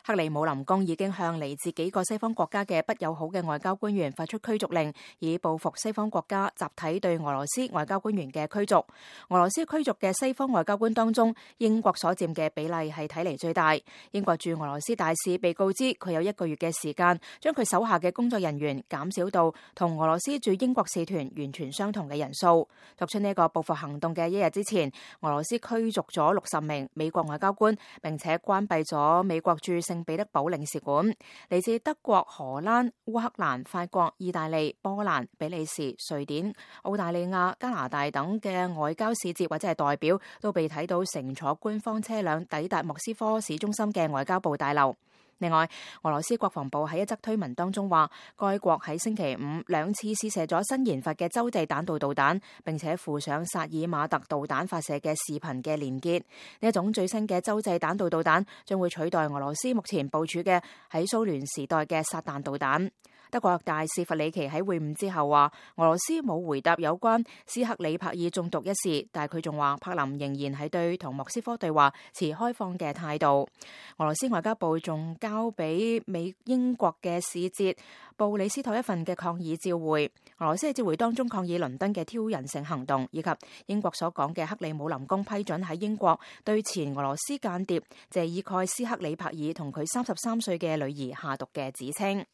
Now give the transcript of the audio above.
克里姆林宮已經向嚟自幾個西方國家嘅不友好嘅外交官員發出驅逐令，以報復西方國家集體對俄羅斯外交官員嘅驅逐。俄羅斯驅逐嘅西方外交官當中，英國所佔嘅比例係睇嚟最大。英國駐俄羅斯大使被告知佢有1個月嘅時間，將佢手下嘅工作人員減少到同俄羅斯駐英國使團完全相同嘅人數。作出呢個報復行動嘅1日之前，俄羅斯驅逐咗60名美國外交官，並且關閉咗美國駐聖彼得堡領事館。嚟自德國、荷蘭、烏克蘭、法國、意大利、波蘭、比利時、瑞典、澳大利亞、加拿大等嘅外交使節或者係代表都被睇到乘坐官方車輛抵達莫斯科市中心嘅外交部大樓。另外，俄羅斯國防部喺一則推文當中話，該國喺星期52次試射咗新研發嘅洲際彈道導彈，並且附上薩爾馬特導彈發射嘅視頻嘅連結。呢一種最新嘅洲際彈道導彈將會取代俄羅斯目前部署嘅喺蘇聯時代嘅撒旦導彈。德國大使弗里奇喺會晤之後話，俄羅斯冇回答有關斯克里帕爾中毒一事，但係佢仲話柏林仍然係對同莫斯科對話持開放嘅態度。俄羅斯外交部仲交俾英國嘅使節布里斯托一份嘅抗議照會。俄羅斯喺照會當中抗議倫敦嘅挑釁性行動，以及英國所講嘅克里姆林宮批准喺英國對前俄羅斯間諜謝爾蓋斯克里帕爾同佢33歲嘅女兒下毒嘅指稱。